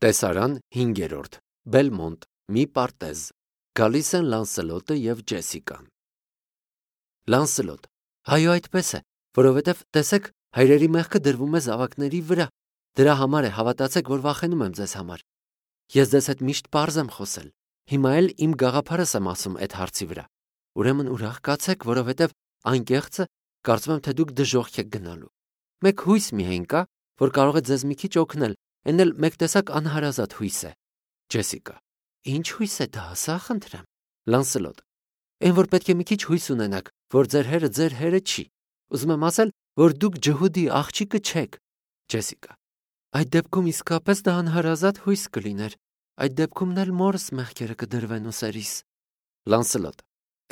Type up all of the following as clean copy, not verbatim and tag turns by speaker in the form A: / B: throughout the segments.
A: Տեսարան 5. Բելմոնտ, մի պարտեզ։ Գալիս են Լանսելոտը և Ջեսիկան։ Լանսելոտ. Այո, այդպես է, որովհետև տեսեք, հայրերի մեղքը դրվում է զավակների վրա։ Դրա համար է, հավատացեք, որ վախենում եմ ձեզ համար։ Ես ձեզ հետ միշտ պարզ եմ խոսել։ Հիմա էլ իմ գաղափարս եմ ասում այդ հարցի վրա։ Ուրեմն ուրախ կացեք, որովհետև անկեղծը կարծում եմ, թե դուք դժոխք եք գնալու։ Մեկ հույս միայն կա, որ կարող է ձեզ մի քիչ օգնել, այն էլ մեկ տեսակ անհարազատ հույս է։ Ջեսիկա. Ինչ հույս է դա, ասա խնդրեմ։ Լանսելոտ. Այն որ պետք է մի քիչ հույս ունենաք, որ ձեր հերը չի։ Ուզում եմ ասել, որ դուք ջհուդի աղջիկը չեք։ Ջեսիկա. Այդ դեպքում իսկապես դա անհարազատ հույս կլիներ։ Այդ դեպքումն էլ մորս մեղքերը կդրվեն ուսերիս։ Լանսելոտ.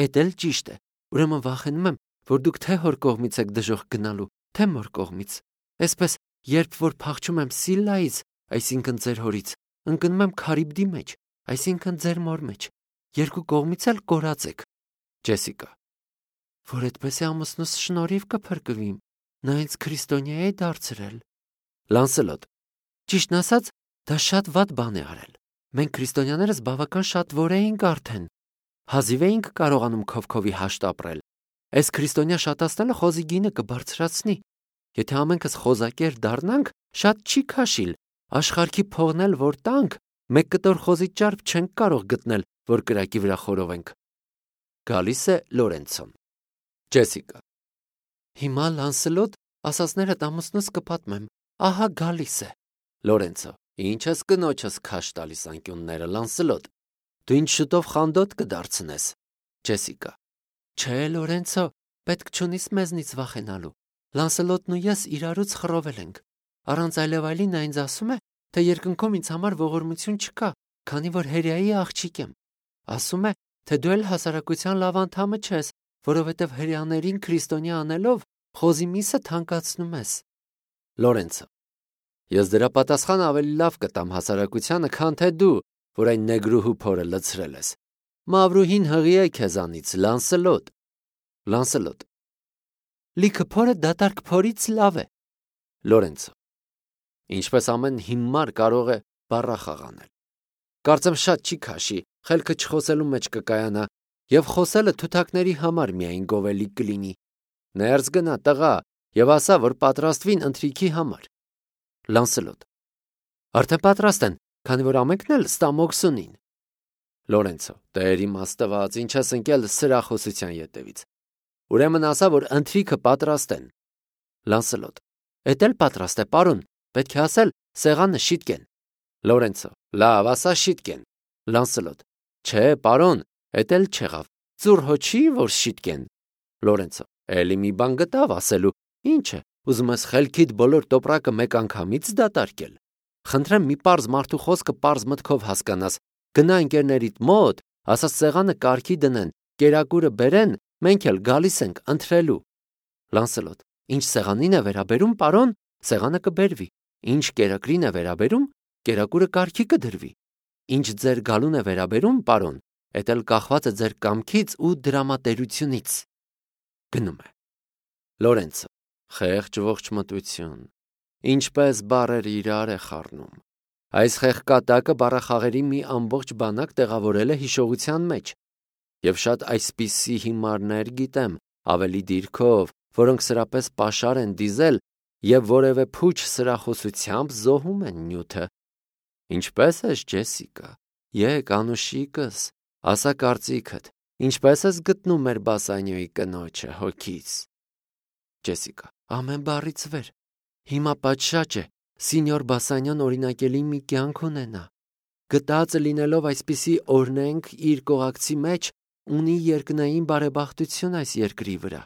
A: Էդ էլ ճիշտ է։ Ուրեմն վախենում եմ, որ դուք թե հոր կողմից եք դժոխք գնալու, թե մոր կողմից։ Այսպես, երբ որ փախչում եմ Սիլլայից, այսինքն ձեր հորից, ընկնում եմ Քարիբդի մեջ, այսինքն ձեր մոր մեջ։ Երկու կողմից էլ կորած եք։ Ջեսիկա. Որ այդպես է ամուսնուս շնորհիվ կփրկվիմ, նա ինձ քրիստոնյա է դարձրել։ Լանսելոտ. Ճիշտն ասած, դա շատ վատ բան է արել։ Մենք քրիստոնյաներս բավական շատ որ էինք արդեն։ Հազիվ էինք կարողանում քովքովի հաշտ ապրել։ Այս քրիստոնյա շատացնելը խոզի գինը կբարձրացնի։ Եթե ամենքս խոզակեր դառնանք, շատ չի քաշիլ։ Աշխարհքի փողն էլ որ տանք, մեկ կտոր խոզի ճարպ չենք կարող գտնել, որ կրակի վրա խորովենք։ Գալիս է Լորենցոն։ Ջեսիկա. Հիմա Լանսելոտ, ասածներդ ամուսնուս կպատմեմ։ Ահա գալիս է։ Լորենցո. Ինչ ես կնոջս քաշ տալիս անկյունները, Լանսելոտ։ Դու ինչ շուտով խանդոտ կդարձնես։ Ջեսիկա. Չէ, Լորենցո, պետք չունիս մեզնից վախենալու։ Լանսելոտն ու ես իրարուց խռովել ենք։ Առանց այլևայլի նա ինձ ասում է, թե երկնքում ինձ համար ողորմություն չկա, քանի որ հրեայի աղջիկ եմ։ Ասում է, թե դու էլ հասարակության լավ անդամը չես, որովհետև հրեաներին քրիստոնյա անելով խոզի միսը թանկացնում ես։ Լորենցո. Ես դրա պատասխանը ավելի լավ կտամ հասարակությանը, քան թե դու, որ այն նեգրուհու փորը լցրել ես։ Մավրուհին հղի է քեզանից, Լանսելոտ։ Լանսելոտ. Լիքը փորը դատարկ փորից լավ է։ Լորենցո. Ինչպես ամեն հիմար կարող է բառախաղ անել։ Կարծեմ շատ չի քաշի, խելքը չխոսելու մեջ կկայանա, եւ խոսելը թութակների համար միայն գովելի կլինի։ Ներս գնա, տղա, եւ ասա, որ պատրաստվին ընթրիքի համար։ Լանսելոտ. Արդեն պատրաստ են, քանի որ ամենքն էլ ստամոքս ունին։ Լորենցո. Տեր իմ Աստված, ինչ ես ընկել սրախոսության ետևից։ Ուրեմն ասա, որ ընթրիքը պատրաստ են։ Լանսելոտ. Էդ էլ պատրաստ է, պարոն, պետք է ասել, սեղանը շիտկեն։ Լորենցո. Լավ, ասա շիտկեն։ Լանսելոտ. Չէ, պարոն, էդ էլ չեղավ։ Ծուռ հո չի, որ շիտկեն։ Լորենցո. Էլի մի բան գտավ ասելու։ Ինչ է, ուզում ես խելքիդ բոլոր տոպրակը մեկ անգամից դատարկել։ Խնդրեմ մի պարզ մարդու խոսքը պարզ մտքով հասկանաս։ Գնա ընկերներիդ մոտ, ասած սեղանը կարգի դնեն, կերակուրը բերեն, մենք էլ գալիս ենք ընթրելու։ Լանսելոտ. Ինչ սեղանին է վերաբերում, պարոն, սեղանը կբերվի։ Ինչ կերակրին է վերաբերում, կերակուրը կարգի կդրվի։ Ինչ ձեր գալուն է վերաբերում, պարոն, էդ էլ կախված է ձեր կամքից ու դրամատերությունից։ Գնում է։ Լորենցո. Խեղճ ողջ մտություն։ Ինչպես բառերը իրար է խառնում։ Այս խեղկատակը բառախաղերի մի ամբողջ բանակ տեղավորել է հիշողության մեջ։ Եվ շատ այսպիսի հիմարներ գիտեմ, ավելի դիրքով, որոնք սրապես պաշար են դիզել եւ որևէ փուչ սրախոսությամբ զոհում են նյութը։ Ինչպես ես, Ջեսիկա, եկ անուշիկս, ասա կարծիքդ, ինչպես ես գտնում մեր Բասանյոյի կնոջը հոգից։ Ջեսիկա. ամեն բառից վեր։ Հիմա պատշաճ է, սինյոր Բասանյան օրինակելի մի կյանք ունենա։ Գտածը լինելով այսպիսի օրնենք իր կողակցի մեջ, ունի երկնային բարեբախտություն այս երկրի վրա։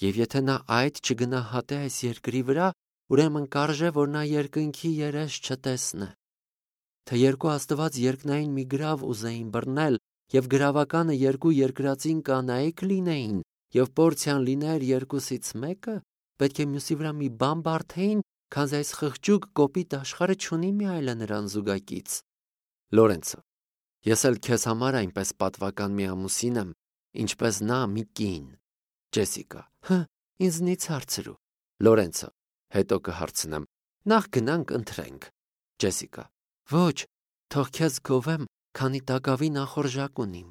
A: Եվ եթե նա այդ չգնահատե այս երկրի վրա, ուրեմն կարժե, որ նա երկնքի երես չտեսնե։ Թե երկու աստված երկնային մի գրավ ուզեին բռնել, եւ գրավականը երկու երկրածին կանայք լինեին, եւ պորցիան լիներ երկուսից մեկը, պետք է մյուսի վրա մի բան բարթեին, քանզի այս խղճուկ կոպիտ աշխարհը չունի մի այլը նրան զուգակից։ Լորենցո. Ես էլ քեզ համար այնպես պատվական մի ամուսին եմ, ինչպես նա մի կին։ Ջեսիկա. ինձնից հարցրու։ Լորենցո. հետո կհարցնեմ։ Նախ գնանք ընթրենք։ Ջեսիկա. Ոչ, թող քեզ գովեմ, քանի տակավի նախորժակ ունիմ։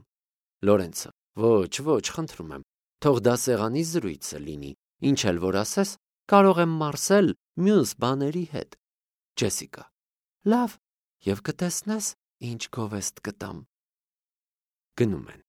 A: Լորենցը. Ոչ, խնդրում եմ, թող դա սեղանի զրույցը լինի, ինչ էլ որ ասես, կարող եմ մարսել մյուս բաների հետ։ Ջեսիկա. Լավ, եւ կտեսնես, ինչ գովեստ կտամ։ Գնում են։